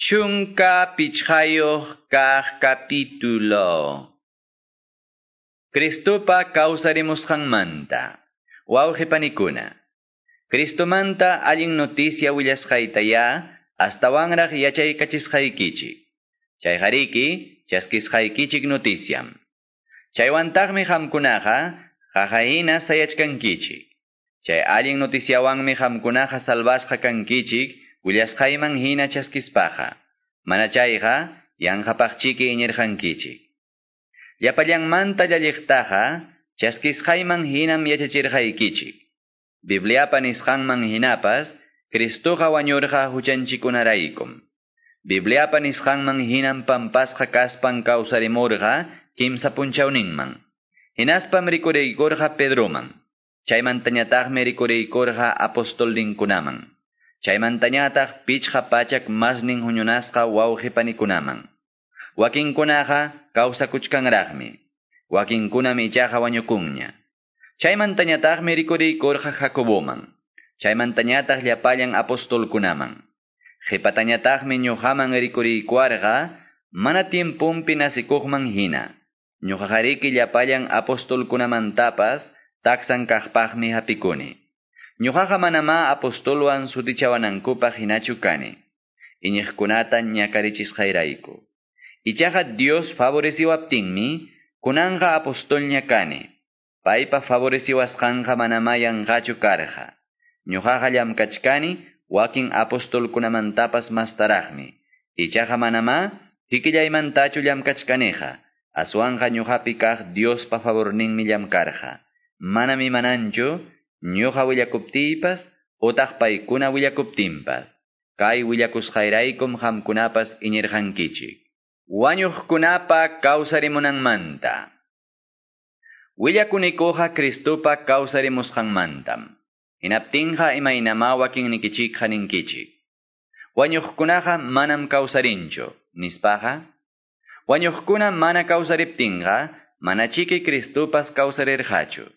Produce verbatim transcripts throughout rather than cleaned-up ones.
Chunka pichqayuq kaq capítulo. Cristopa kawsarimusqanmanta. Wawqi panikuna. Cristomanta allin noticia willasqaytaya astawanraq yachaykachisqaykichik. Chayqariki chaskisqaykichik noticiam. Chaywantaqmi qamkunaqa qaqahina sayachkankichik. Chay allin noticiawanmi qamkunaqa salvasqa kankichik willasqayman hina chaskispaqa. Mana chayqa yanqapaqchiki iñirqankichik. Llapallanmanta llalliqtaqa chaskisqayman hinam yachachirqaykichik. Bibliapa nisqanman hinapas Cristoqa wañurqa huchanchikunaraykum. Bibliapa nisqanman hinam pampasqa kaspan kawsarimurqa kimsa punchawninman. Hinaspam rikuriykurqa Pedroman. Chaymantañataqmi rikuriykurqa apostolninkunaman. Chaymantañataq pichqa pachak masnin huñunasqa wawqipanikunaman. Wakinkunaqa kawsakuchkanraqmi. Wakinkunam ichaqa wañukunña. Chaymantañataqmi rikuriykurqa Jacoboman. Chaymantañataq llapallan apostolkunaman. Qhipatañataqmi ñuqaman rikuriykuarqa mana tiempumpi nasikuqman hina. Ñuqaqariki llapallan apostolkunamantapas taksan kaqpaqmi hapikuni. Ñuqaqa manamá apostolwan sutichawanankupaq hinachu kani. Iñiqkunata ñakarichisqayrayku. Ichaqa Dios favoreciwaptinmi kunanqa apostolña kani. Paypa favoreciwasqanqa manamá yanqachu karqa. Ñuqaqa llamkachkani wakin apostolkunamantapas mastaraqmi. Ichaqa manamá kikillaymantachu llamkachkaniqa. Aswanqa ñuqapi kaq Diospa favorninmi llamkarqa. Manam imananchu ñuqa willakuptiypas utaq paykuna willakuptinpas. Kay willakusqayraykum qamkunapas iñirqankichik. Wañuqkunapa kawsarimunanmanta. Willakunikuqa Cristopa kawsarimusqanmantam. Hinaptinqa imaynamá wakinnikichikqa ninkichik. Wañuqkunaqa manam kawsarinchu, nispaqa. Wañuqkuna mana kawsariptinqa, manachiki Cristopas kawsarirqachu.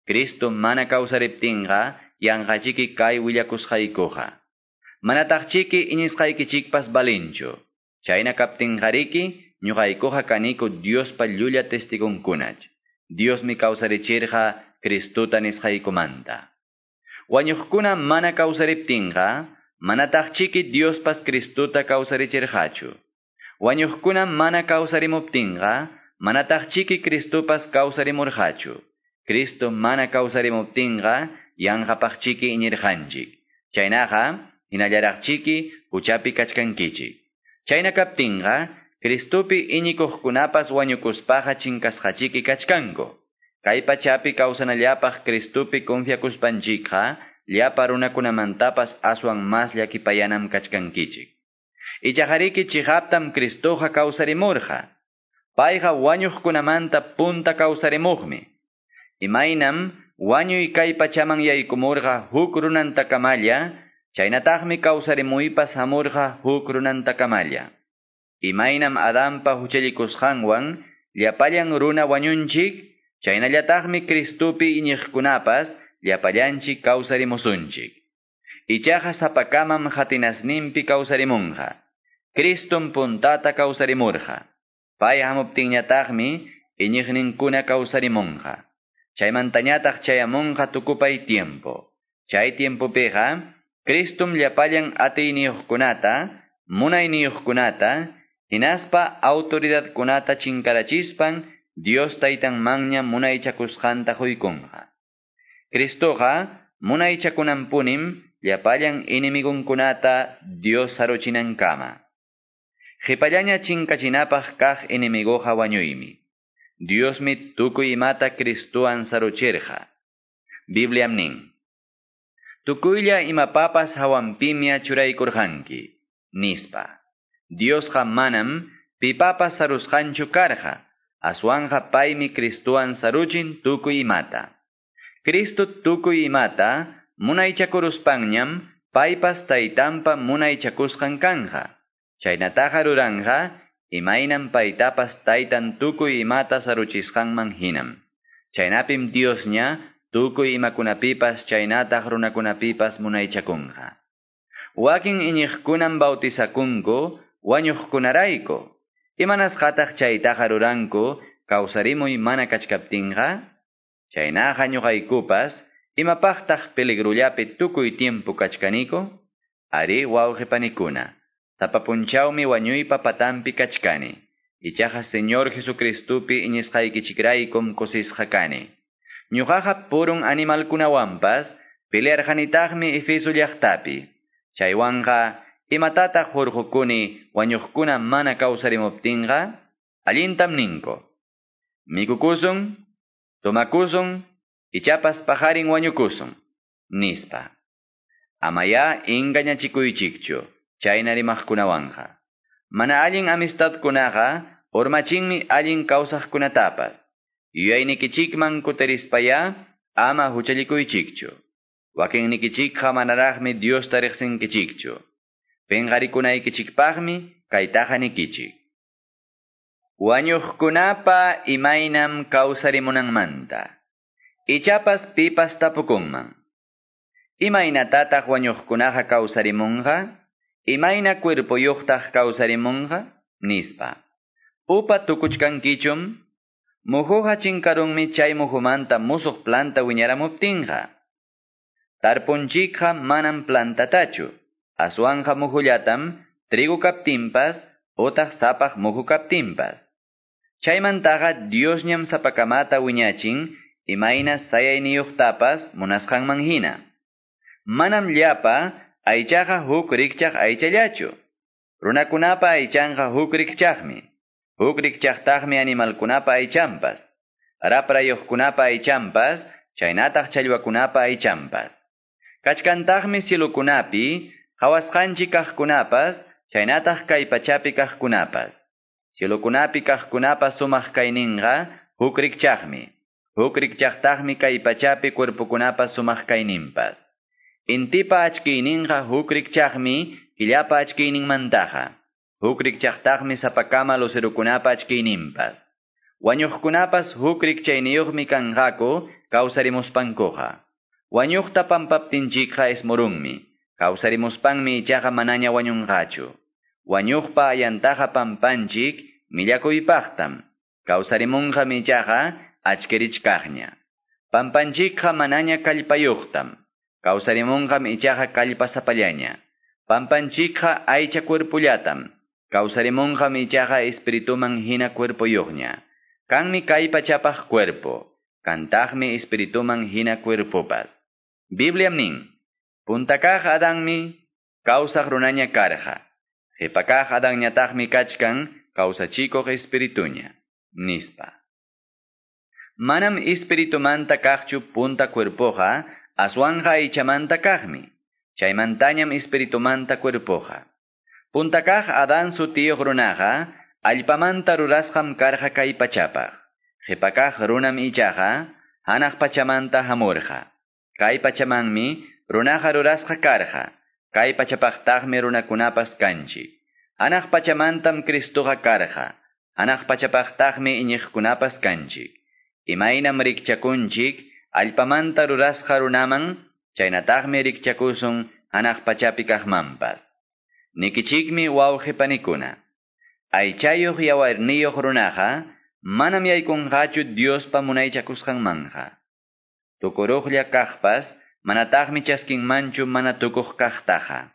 Cristo mana kawsariptinqa, yanqachiki kay willakusqaykuqa. Manataqchiki iñisqaykichikpas balinchu. Chayna kaptinqariki, ñuqaykuqa kaniku Diospa llulla testigonkunach. Diosmi kawsarichirqa Cristota nisqaykumanta. Wañuqkuna mana kawsariptinqa, manataqchiki Diospas Cristota kawsarichirqachu. Wañuqkuna mana kawsarimuptinqa, manataqchiki Cristopas kawsarimurqachu. Cristo mana kawsarimuptinqa, yanqapaqchiki iñirqanchik. Chaynaqa, hinallaraqchiki huchapi kachkankichik. Chayna kaptinqa, Cristopi iñikuqkunapas wañukuspaqa chinkasqachiki kachkanku. Kay pachapi kawsanallapaq Cristopi confiakuspanchikqa, llapa runakunamantapas aswan mas llakipayanam kachkankichik. Ichaqariki chiqaptam Cristoqa kawsarimurqa. Payqa wañuqkunamanta punta kawsarimuqmi. Imaynam wañuy kay pachaman yaykumurqa huk runantakamalla, chaynataqmi kawsarimuypas hamurqa huk runantakamalla. Imaynam Adanpa huchallikusqanwan llapallan runa wañunchik, chaynallataqmi Cristopi iñiqkunapas llapallanchik kawsarimusunchik. Ichaqa sapakamam hatinasninpi kawsarimunqa. Cristom puntata kawsarimurqa. Pay hamuptinñataqmi iñiqninkuna kawsarimunqa. Chaymantañataq chayamunqa tukupay tiempo. Chay tiempopiqa Cristom llapallan atiyniyuqkunata, munayniyuqkunata, hinaspa autoridadkunata chinkarachispan Dios taytanmanña munaychakusqanta quykunqa. Cristoqa munaychakunanpunim llapallan enemigunkunata Dios saruchinankama. Qipallaña chinkachinapaq kaq enemiguqa wañuymi. Diosmi tukuy imata Cristowan saruchirqa. Bibliam nin. Tukuylla imapapas hawanpimia churaykurqanki, nispa. Diosqa manam pipapas sarusqanchu karqa. Aswanqa paymi Cristowan saruchin tukuy imata. Cristo tukuy imata munaychakuruspanñam paypas taytanpa munaychakusqan kanja. Chaynataqa ruranqa imaynam paytapas taytan tukuy imata saruchisqanman hinam. Chaynapim Diosña tukuy imakunapipas chaynataq runakunapipas munaychakunqa. Wakin iñiqkunam bautizakunku Wañuqkunarayku. Imanasqataq chaytaqa ruranku kawsarimuy mana kachkaptinqa? Chaynaqa ñuqaykupas, imapaqtaq peligrullapi tukuy tiempo kachkaniku? Ari wawqipanikuna, sapa punchawmi wañuypa patampi kachkani. Ichaqa Señor Jesucristupi iñisqaykichikraykum kusisqa kani. Ñuqaqa purun animalkunawanpas pelearqanitaqmi Efeso llaqtapi. Chaywanqa imatataq hurqukuni wañuqkuna mana kawsarimuptinqa? Allintam ninku. Mikukusun, tomakusun, ichapas pajarin wañukusun, nispa. Amaya engañachikuychikchu, chayna rimaqkunawanqa. Mana allin amistadkunaqa urmachinmi allin kawsaqkunatapas. Yuyaynikichikman kutirispaya ama huchallikuychikchu. Wakinnikichikqa manaraqmi Diosta riqsinkichikchu. Penqarikunaykichikpaqmi kaytaqa nikichik. Wañuqkunapa imaynam kawsarimunanmanta. Ichapas pipas tapukunman. Imaynatataq wañuqkunaqa kawsarimunqa? Imayna cuerpoyuqtaq kawsarimunqa? Nispa. Upa tukuchkankichum? Muhuqa chinkarunmi chay muhumanta musuq planta wiñaramuptinqa. Tarpunchikqa manam plantatachu. Aswanja muhullatam trigo kaptinpas otaq sapaq muhu kaptinpas. Chaymantaqa Diosñam sapakamata wiñachin imayna sayayniyuqtapas munasqanman hina. Manam llapa aychaqa huk rikchaq aychallachu. Runakunapa aychanqa huk rikchaqmi. Huk rikchaqtaqmi animalkunapa aychanpas. Raprayuqkunapa aychanpas, chaynataq challwakunapa aychanpas. Kachkantaqmi cielokunapi, qhawasqanchik kaqkunapas, chaynataq kay pachapi kaqkunapas. Cielokunapi kaqkunapas sumaq kayninqa huk rikchaqmi. Huk rikchaqtaqmi kay pachapi cuerpokunapas sumaq kayninpas. Intipa achkiyninqa huk rikchaqmi killapa achkiyninmantaqa. Huk rikchaqtaqmi sapakama lucerukunapa achkiyninpas. Wañuqkunapas huk rikchayniyuqmi kanqaku kawsarimuspankuqa. Wañuqta pampaptinchikqa ismurunmi. Kawsarimuspanmi ichaqa manaña wañunqachu. Wañuqpa ayantaqa pampanchik millakuypaqtam. Kawsarimunqam ichaqa achkirichkaqña. Pampanchikqa manaña kallpayuqtam. Kawsarimunqam ichaqa kallpasapallaña. Pampanchikqa aycha cuerpullatam. Kawsarimunqam ichaqa espirituman hina cuerpoyuqña. Kanmi kay pachapaq cuerpo. Kantaqmi espirituman hina cuerpopas. Bibliam nin. Puntakaq Adanmi kawsaq runaña karqa. Qhipakaq Adanñataqmi kachkan kawsachikuq espirituña. Nispa. Manam espiritumanta kaqchu punta cuerpoqa, aswanja aychamanta kaqmi. Chaymantañam espiritumanta cuerpoqa. Puntakaq Adán sutiyuq runaqa, allpamanta rurasqam karqa kay pachapaq. Qhipakaq runam ichaqa, hanaq pachamanta hamurqa. Kay pachamanmi runaqa rurasqa karqa. Kay pachapaqtaqmi runakunapas kanchik. Hanaq pachamantam Cristoqa karqa. Hanaq pachapaqtaqmi iñiqkunapas kanchik. Imaynam rikchakunchik, allpamanta rurasqa runaman, chaynataqmi rikchakusun hanaq pachapi kaqmanpas. Nikichikmi wawqipanikuna. Aychayuq yawarniyuq runaqa, manam yaykunqachu Diospa munaychakusqanmanja. Tukuruqlla kaqpas, manataqmi chaskinmanchu mana tukuq kaqtaqa.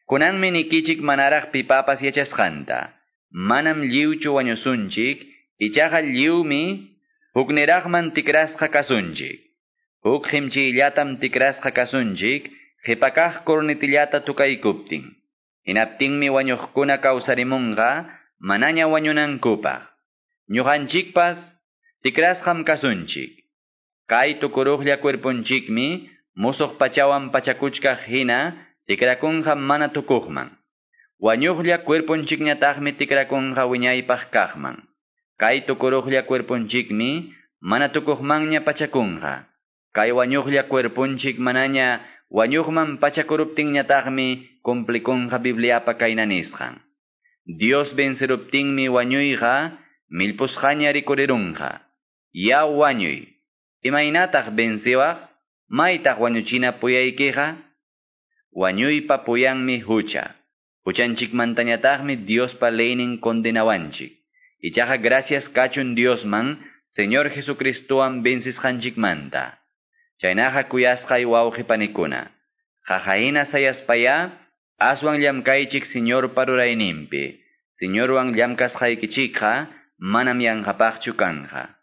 Kunanmi nikichik manaraq pipapas yachasqanta. Manam lliwchu wañusunchik, ichaqa lliwmi hukniraqman tikrasqa kasunchik. Huk qimchiyllatam tikrasqa kasunchik, qhipakaq cornetillata tukaykuptin. Hinaptinmi wañuqkuna kawsarimunqa, manaña wañunankupaq. Ñuqanchikpas tikrasqam kasunchik. Kay tukuruqlla cuerponchikmi musuq pachawan pachakuchkaq hina tikrakunqa mana tukuqman. Wañuqlla cuerponchikñataqmi tikrakunqa wiñaypaq kaqman. Kay tukuruqlla cuerponchikmi mana tukuqmanña pachakunqa. Kay wañuqlla cuerponchik manaña wañuqman pachakuruptinñataqmi cumplikunqa Bibliapa kayna nisqan. Dios venceruptinmi wañuyqa millpusqaña rikurirunqa. Ya wañuy, imaynataq venciwaq? Maytaq wañuchina puyaykiqa? Wañuypa puyanmi hucha. Huchanchikmantañataqmi Diospa leynin condenawanchik. Ichaqa gracias kachun Diosman, Señor Jesucristowan vencisqanchikmanta. Chaynaqa kuyasqay wawqi panikuna. Qaqahina sayaspaya, aswan llamkaychik Señorpa rurayninpi. Señorwan llamkasqaykichikqa manam yanqapaqchu kanja.